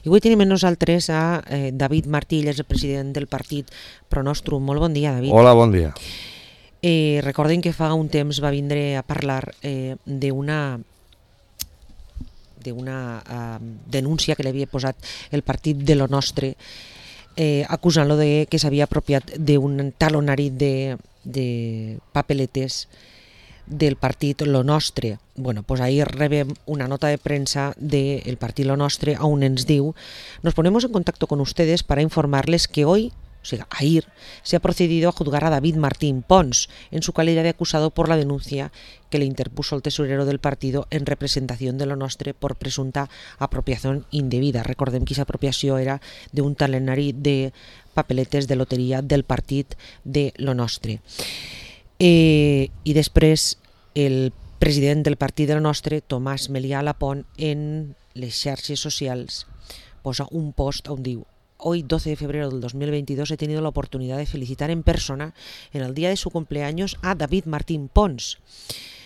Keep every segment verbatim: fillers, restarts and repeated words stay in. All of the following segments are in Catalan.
I avui tenim amb nosaltres a eh, David Martí, ell és el president del partit Pronostrum. Molt bon dia, David. Hola, bon dia. Eh, recorden que fa un temps va vindre a parlar eh, d'una d'una uh, denúncia que li havia posat el partit de Lo Nostre, eh, acusant-lo de que s'havia apropiat d'un talonari de, de papeletes del partit Lo Nostre. Bueno, pues ahí rebem una nota de prensa del partido Lo Nostre, aún ens diu: nos ponemos en contacto con ustedes para informarles que hoy, o sea, ayer, se ha procedido a juzgar a David Martín Pons en su calidad de acusado por la denuncia que le interpuso el tesorero del partido en representación de Lo Nostre por presunta apropiación indebida. Recordem que aquesta apropiació era d'un talonari de papeletes de loteria del partit de Lo Nostre. Eh, I després el president del partit de Lo Nostre, Tomàs Melià Lapont, en les xarxes socials posa un post on diu: hoy, doce de febrero del dos mil veintidós, he tenido la oportunidad de felicitar en persona en el día de su cumpleaños a David Martín Pons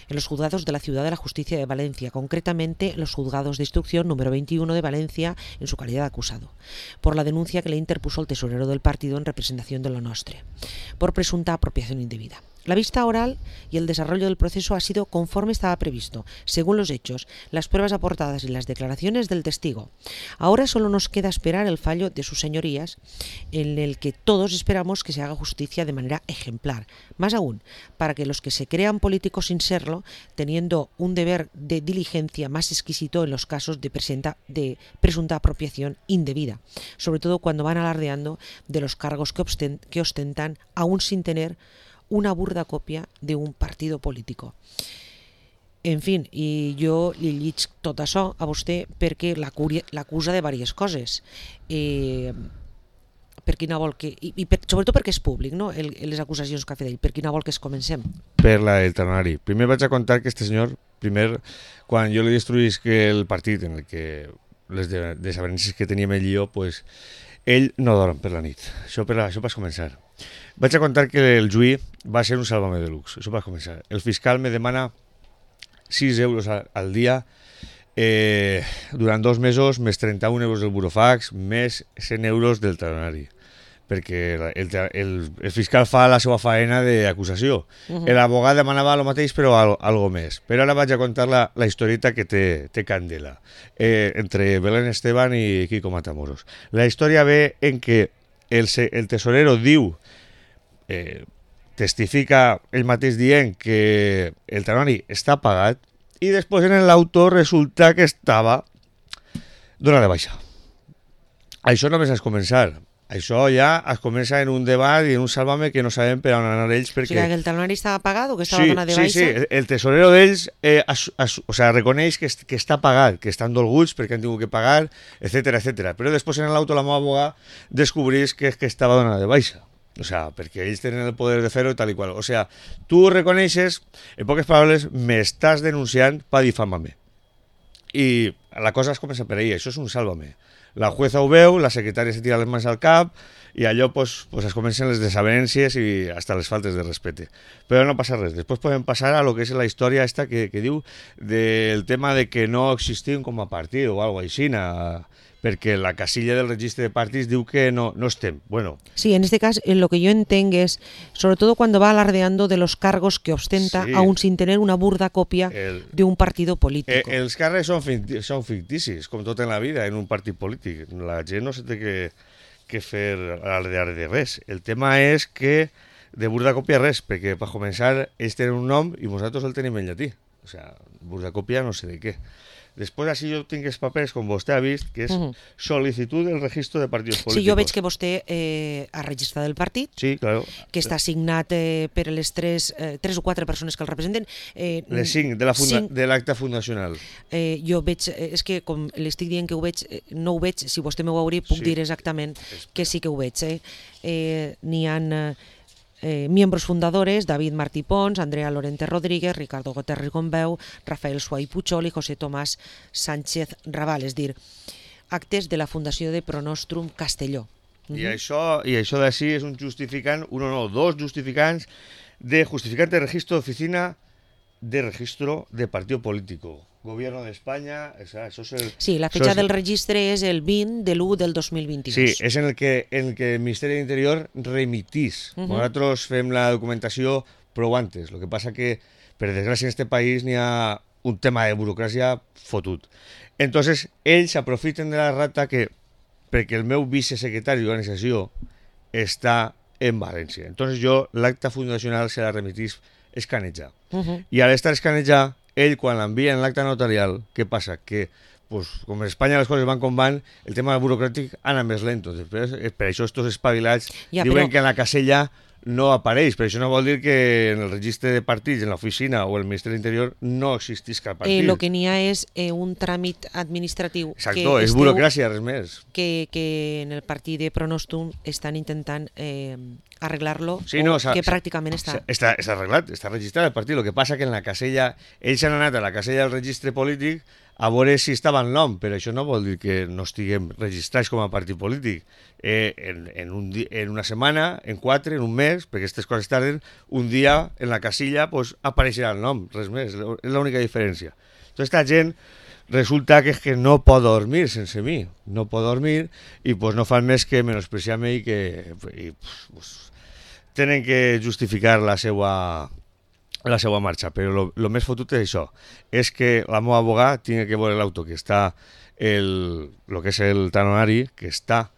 en los juzgados de la Ciudad de la Justicia de Valencia, concretamente en los juzgados de instrucción número veintiuno de Valencia, en su calidad de acusado, por la denuncia que le interpuso el tesorero del partido en representación de Lo Nostre, por presunta apropiación indebida. La vista oral y el desarrollo del proceso ha sido conforme estaba previsto, según los hechos, las pruebas aportadas y las declaraciones del testigo. Ahora solo nos queda esperar el fallo de sus señorías, en el que todos esperamos que se haga justicia de manera ejemplar. Más aún, para que los que se crean políticos sin serlo, teniendo un deber de diligencia más exquisito en los casos de, presenta, de presunta apropiación indebida, sobre todo cuando van alardeando de los cargos que, ostent, que ostentan, aún sin tener una burda còpia d'un partit polític. En fi, i jo li llic tot això a vostè perquè l'acusa de diverses coses. Eh, per quina vol que... I, i per, sobretot perquè és públic, no?, el, les acusacions que ha fet ell. Per quina vol que es comencem? Per la del talonari. Primer vaig a contar que este senyor, primer, quan jo li destruïsc el partit en el que les desavenències que teníem ell i jo, pues, ell no dorm per la nit. Això per, això per començar. Vaig a contar que el juí va ser un sálvame de luxe, això per començar. El fiscal me demana sis euros al dia eh, durant dos mesos, més trenta-un euros del burofax, més cent euros del talonari, perquè el, el, el fiscal fa la seva faena d'acusació. Uh-huh. L'abogat demanava el mateix, però al, algo més. Però ara vaig a contar la, la historieta que té, té candela, eh, entre Belén Esteban i Kiko Matamoros. La història ve en que el, el tesorero diu, eh, testifica ell mateix dient que el talonari està pagat, i després en l'auto resulta que estava donat de baixa. Això només és començar. Això ja es comença en un debat i en un sálvame que no sabem per on anar ells, perquè... O sigui, que el talonari estava pagat o que estava sí, donat de baixa? Sí, sí, el tesorero d'ells eh, as, as, o sea, reconeix que, que està pagat, que estan dolguts perquè han tingut que pagar, etcètera, etcètera. Però després en l'auto la meva abogada descobrís que, que estava donat de baixa. O sea, perquè ells tenen el poder de fer-ho i tal i qual. O sea, tu reconeixes, en poques paraules, m'estàs denunciant per difamar-me. I la cosa es comença per ahí, això és un sálvame. La jueza ho veu, la secretària se tira les mans al cap i allò pues, pues es comencen les desavenències i hasta les faltes de respecte. Però no passa res. Després podem passar a lo que és la història esta que, que diu del tema de que no existim com a partit o alguna cosa així, perquè la casilla del registre de partits diu que no, no estem. Bueno. Sí, en este caso lo que yo entiendo es, sobre todo cuando va alardeando de los cargos que ostenta, sí, aún sin tener una burda copia el, de un partido político. Eh, els càrrecs són, ficticis, són ficticis, com tot en la vida, en un partit polític. La gent no se té que, que fer alardear de res. El tema és que de burda copia res, perquè per començar ells tenen un nom i nosaltres el tenim en llatí. O sea, burda copia no sé de què. Després, així jo tinc els papers, com vostè ha vist, que és uh-huh. sol·licitud del registre de partits polítics. Sí, jo veig que vostè eh, ha registrat el partit, sí, claro, que està signat eh, per les tres, eh, tres o quatre persones que el representen. Eh, les cinc, de, la funda, cinc. de l'acte fundacional. Eh, jo veig, eh, és que com l'estic dient que ho veig, eh, no ho veig, si vostè m'ho veurà, puc sí. dir exactament que sí que ho veig. Eh. Eh, N'hi ha... Eh, Eh, miembros fundadores: David Martí Pons, Andrea Lorente Rodríguez, Ricardo Goterres Gombeu, Rafael Suay Puchol i José Tomàs Sánchez Raval, és dir, actes de la Fundació de Pronostrum Castelló. Uh-huh. I això, i això d'ací és un justificant, un o no, dos justificants de justificante de registro de oficina de registro de partido político. Gobierno d'Espanya, això és el... Sí, la fecha del registre és el vint de l'u del dos mil vint-i-dos. Sí, és en el que, en el, que el Ministeri d'Interior remitís. Uh -huh. Nosaltres fem la documentació prou antes, el que passa que, per desgràcia, en aquest país n'hi ha un tema de burocràcia fotut. Entonces, ells aprofiten de la rata que, perquè el meu vicesecretari d'organització està en València. Entonces jo l'acta fundacional se la remitís escanejar. Uh -huh. I al estar escanejar, ell quan l'envia en l'acta notarial, què passa? Que, pues, com en Espanya les coses van com van, el tema burocràtic ana més lento. Després, per això estos espavilats ja, diuen però... que en la casella no apareix, però això no vol dir que en el registre de partits, en l'oficina o el Ministeri d'Interior no existís cap partit. El eh, que n'hi ha és eh, un tràmit administratiu. Exacto, és esteu, burocràcia, res més. Que, que en el partit de Pronostum estan intentant eh, arreglar-lo, sí, no, que pràcticament està... està... Està arreglat, està registrat el partit. El que passa que en la casella, ells han anat a la casella del registre polític a veure si estava el nom, però això no vol dir que no estiguem registrats com a partit polític. Eh, en, en, un di en una setmana, en quatre, en un mes, perquè aquestes coses tarden, un dia en la casilla pues, apareixerà el nom, res més, és l'única diferència. Tota aquesta gent resulta que és que no pot dormir sense mi, no pot dormir i pues, no fan més que menospreciar-me i que i, pues, tenen que justificar la seva... la seva marxa, però el més fotut és això, és que la meva abogada tingui que veure l'auto que està, el que és el talonari, que està,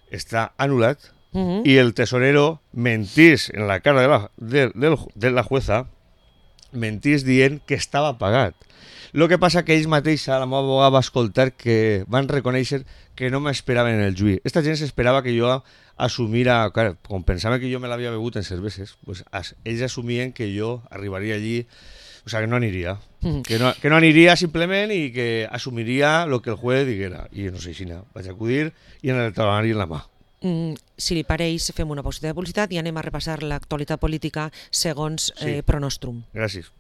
està anul·lat, uh-huh. i el tesorero mentís en la cara de la, de, de, de la jueza, mentís dient que estava pagat. El que passa que ells mateixa, la meva abogada va escoltar que van reconèixer que no m'esperaven en el juí. Esta gent s'esperava que jo assumira, clar, com pensava que jo me l'havia begut en cerveses, pues, as, ells assumien que jo arribaria allí, o sea, que no aniria, mm. que, no, que no aniria simplement i que assumiria el que el juez diguera. I no sé si no, vaig acudir i en el talonari en la mà. Mm, si li pareix, fem una pauseta de publicitat i anem a repassar l'actualitat política segons sí. eh, Pronostrum. Gràcies.